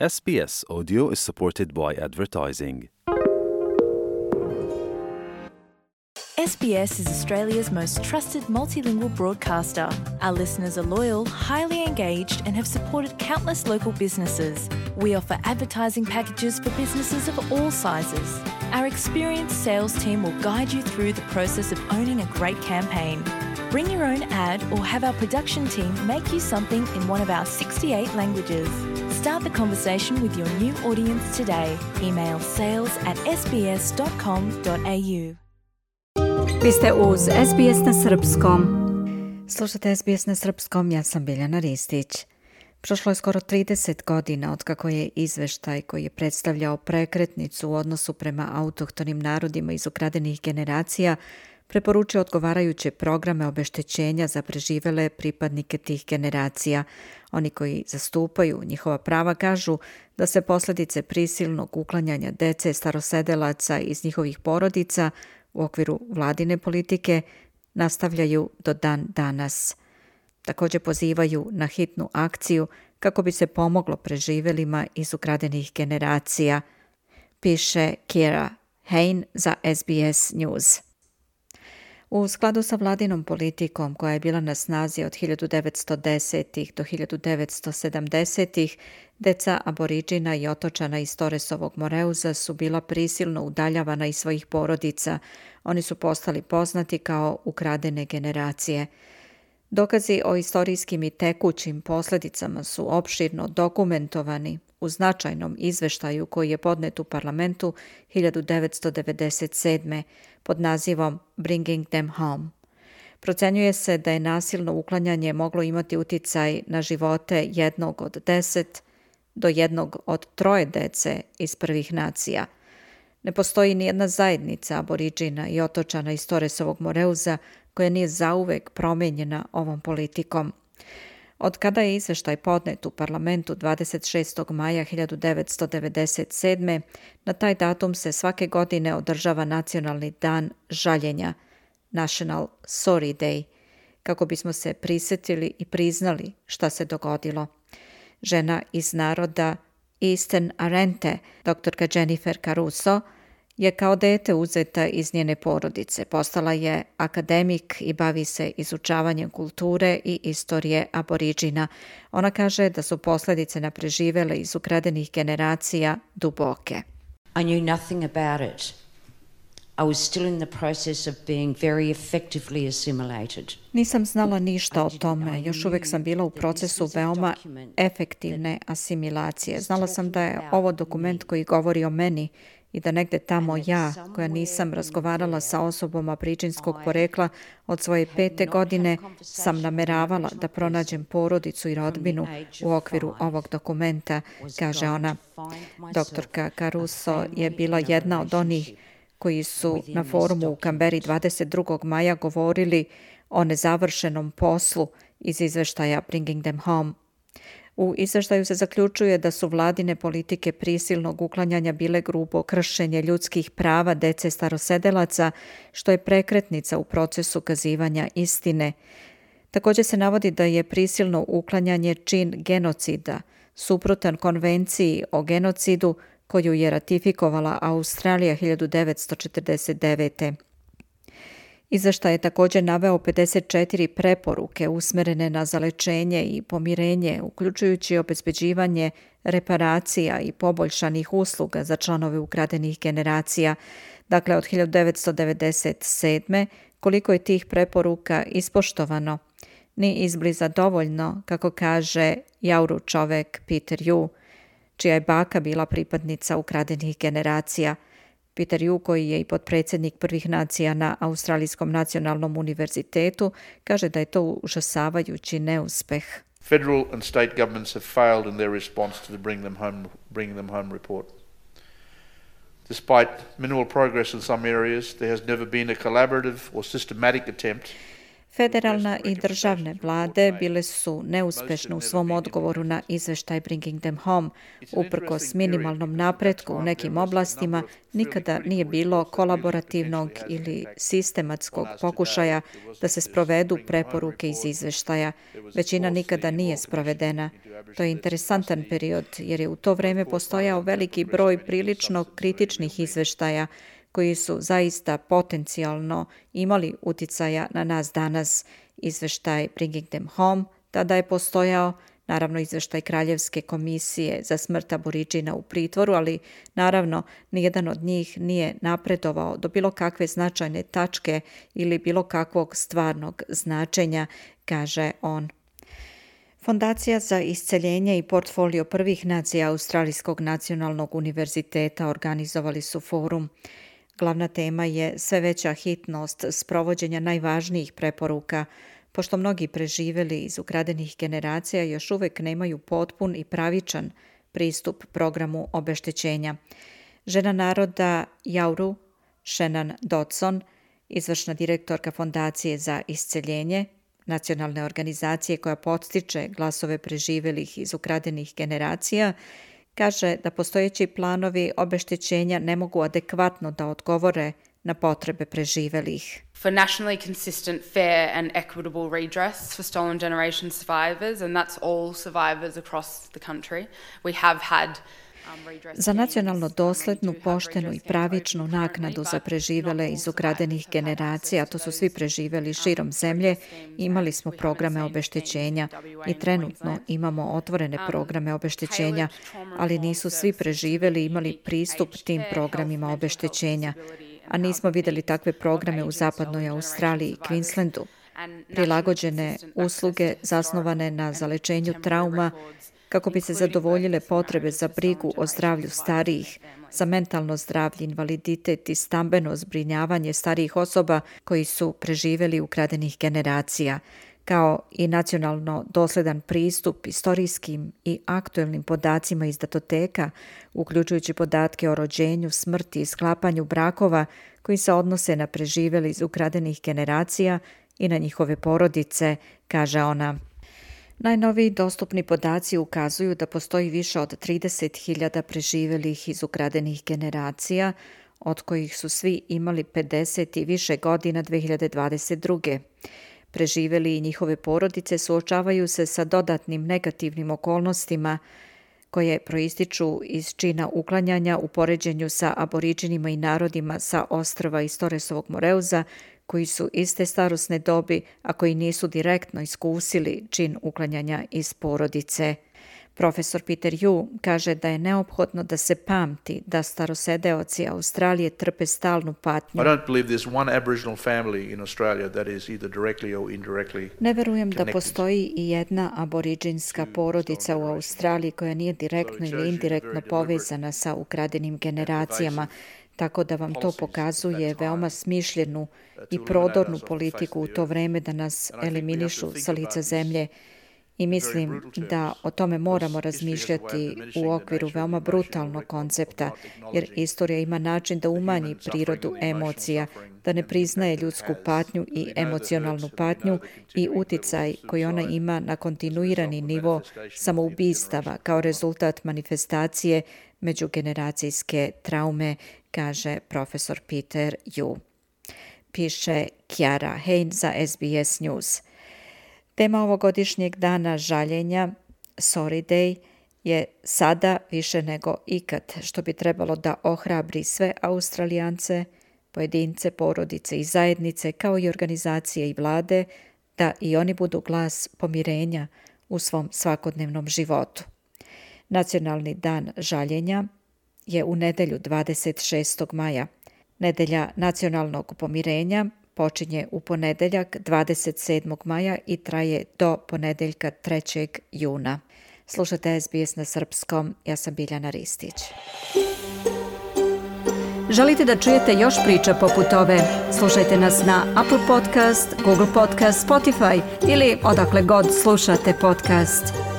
SBS Audio is supported by advertising. SBS is Australia's most trusted multilingual broadcaster. Our listeners are loyal, highly engaged, and have supported countless local businesses. We offer advertising packages for businesses of all sizes. Our experienced sales team will guide you through the process of owning a great campaign. Bring your own ad or have our production team make you something in one of our 68 languages. Start the conversation with your new audience today. Email sales@sbs.com.au. Vi ste uz SBS na srpskom. Slušate SBS na srpskom, ja sam Biljana Ristić. Prošlo je skoro 30 godina otkako je izveštaj koji je predstavljao prekretnicu u odnosu prema autohtonim narodima iz ukradenih generacija preporučio odgovarajuće programe obeštećenja za preživele pripadnike tih generacija. Oni koji zastupaju njihova prava kažu da se posljedice prisilnog uklanjanja dece starosedelaca iz njihovih porodica u okviru vladine politike nastavljaju do dan danas. Također pozivaju na hitnu akciju kako bi se pomoglo preživelima iz ukradenih generacija, piše Kira Hain za SBS News. U skladu sa vladinom politikom koja je bila na snazi od 1910. do 1970. deca aboriđina i otočana iz Torresovog Moreuza su bila prisilno udaljavana iz svojih porodica. Oni su postali poznati kao ukradene generacije. Dokazi o istorijskim i tekućim posljedicama su opširno dokumentovani u značajnom izveštaju koji je podnet u parlamentu 1997. pod nazivom Bringing Them Home. Procenjuje se da je nasilno uklanjanje moglo imati uticaj na živote 1 od 10 do 1 od 3 dece iz prvih nacija. Ne postoji ni jedna zajednica aboriđina i otočana iz Torresovog Moreuza koja nije zauvek promijenjena ovom politikom. Od kada je izveštaj podnet u parlamentu 26. maja 1997. na taj datum se svake godine održava Nacionalni dan žaljenja, National Sorry Day, kako bismo se prisjetili i priznali šta se dogodilo. Žena iz naroda Eastern Arente, doktorka Jennifer Caruso, je kao dete uzeta iz njene porodice. Postala je akademik i bavi se izučavanjem kulture i istorije aboriđina. Ona kaže da su posljedice na preživele iz ukradenih generacija duboke. I knew nothing about it. I was still in the process of being very effectively assimilated. Nisam znala ništa o tome. Još uvijek sam bila u procesu veoma efektivne asimilacije. Znala sam da je ovo dokument koji govori o meni i da negde tamo ja, koja nisam razgovarala sa osobom aboriđinskog porekla od svoje 5. godine, sam nameravala da pronađem porodicu i rodbinu u okviru ovog dokumenta, kaže ona. Doktorka Caruso je bila jedna od onih koji su na forumu u Kamberi 22. maja govorili o nezavršenom poslu iz izveštaja Bringing Them Home. U izveštaju se zaključuje da su vladine politike prisilnog uklanjanja bile grubo kršenje ljudskih prava dece starosedelaca, što je prekretnica u procesu kazivanja istine. Također se navodi da je prisilno uklanjanje čin genocida, suprotan konvenciji o genocidu koju je ratifikovala Australija 1949. Izveštaj je također naveo 54 preporuke usmjerene na zalečenje i pomirenje, uključujući obezbeđivanje reparacija i poboljšanih usluga za članove ukradenih generacija. Dakle, od 1997. koliko je tih preporuka ispoštovano, ni izbliza dovoljno, kako kaže Jauru čovek Peter Yu, čija je baka bila pripadnica ukradenih generacija. Peter Yu, koji je i potpredsjednik prvih nacija na Australijskom nacionalnom univerzitetu, kaže da je to užasavajući neuspeh. Federal and state governments have failed in their response to the Bring Them Home report. Despite minimal progress in some areas, there has never been a collaborative or systematic attempt. Federalna i državne vlade bile su neuspešne u svom odgovoru na izveštaj Bringing Them Home. Uprkos minimalnom napretku u nekim oblastima, nikada nije bilo kolaborativnog ili sistematskog pokušaja da se sprovedu preporuke iz izveštaja. Većina nikada nije sprovedena. To je interesantan period jer je u to vreme postojao veliki broj prilično kritičnih izveštaja koji su zaista potencijalno imali uticaja na nas danas. Izveštaj Bringing Them Home tada je postojao, naravno izveštaj Kraljevske komisije za smrt Aboriđina u pritvoru, ali naravno nijedan od njih nije napredovao do bilo kakve značajne tačke ili bilo kakvog stvarnog značenja, kaže on. Fondacija za isceljenje i portfolio prvih nacija Australijskog nacionalnog univerziteta organizovali su forum. Glavna tema je sve veća hitnost sprovođenja najvažnijih preporuka, pošto mnogi preživeli iz ukradenih generacija još uvek nemaju potpun i pravičan pristup programu obeštećenja. Žena naroda Jauru, Shannon Dodson, izvršna direktorka Fondacije za isceljenje, nacionalne organizacije koja podstiče glasove preživelih iz ukradenih generacija, kaže da postojeći planovi obeštećenja ne mogu adekvatno da odgovore na potrebe preživelih. For nationally consistent, fair and equitable redress for stolen generation survivors, and that's all survivors across the country. We have had za nacionalno doslednu, poštenu i pravičnu naknadu za preživele iz ukradenih generacija, a to su svi preživeli širom zemlje, imali smo programe obeštećenja i trenutno imamo otvorene programe obeštećenja, ali nisu svi preživeli imali pristup tim programima obeštećenja, a nismo videli takve programe u zapadnoj Australiji i Queenslandu. Prilagođene usluge zasnovane na zalečenju trauma kako bi se zadovoljile potrebe za brigu o zdravlju starijih, za mentalno zdravlje, invaliditet i stambeno zbrinjavanje starijih osoba koji su preživeli ukradenih generacija, kao i nacionalno dosledan pristup istorijskim i aktuelnim podacima iz datoteka, uključujući podatke o rođenju, smrti i sklapanju brakova koji se odnose na preživeli iz ukradenih generacija i na njihove porodice, kaže ona. Najnoviji dostupni podaci ukazuju da postoji više od 30.000 preživelih iz ukradenih generacija, od kojih su svi imali 50 i više godina 2022. Preživeli i njihove porodice suočavaju se sa dodatnim negativnim okolnostima koje proističu iz čina uklanjanja u poređenju sa Aboriđinima i narodima sa ostrva iz Torresovog Moreuza, koji su iste starosne dobi, a koji nisu direktno iskusili čin uklanjanja iz porodice. Profesor Peter Yu kaže da je neophodno da se pamti da starosedeoci Australije trpe stalnu patnju. Ne verujem da postoji i jedna aboriđinska porodica u Australiji koja nije direktno ili indirektno povezana sa ukradenim generacijama, tako da vam to pokazuje veoma smišljenu i prodornu politiku u to vreme da nas eliminišu sa lica zemlje. I mislim da o tome moramo razmišljati u okviru veoma brutalnog koncepta, jer istorija ima način da umanji prirodu emocija, da ne priznaje ljudsku patnju i emocionalnu patnju i uticaj koji ona ima na kontinuirani nivo samoubistava kao rezultat manifestacije međugeneracijske traume, kaže profesor Peter Yu. Piše Kiara Hein za SBS News. Tema ovogodišnjeg dana žaljenja, Sorry Day, je sada više nego ikad, što bi trebalo da ohrabri sve Australijance, pojedince, porodice i zajednice, kao i organizacije i vlade, da i oni budu glas pomirenja u svom svakodnevnom životu. Nacionalni dan žaljenja je u nedelju 26. maja. Nedelja nacionalnog pomirenja počinje u ponedeljak 27. maja i traje do ponedeljka 3. juna. Slušate SBS na srpskom, ja sam Biljana Ristić. Želite da čujete još priča poput ove? Slušajte nas na Apple Podcast, Google Podcast, Spotify ili odakle god slušate podcast.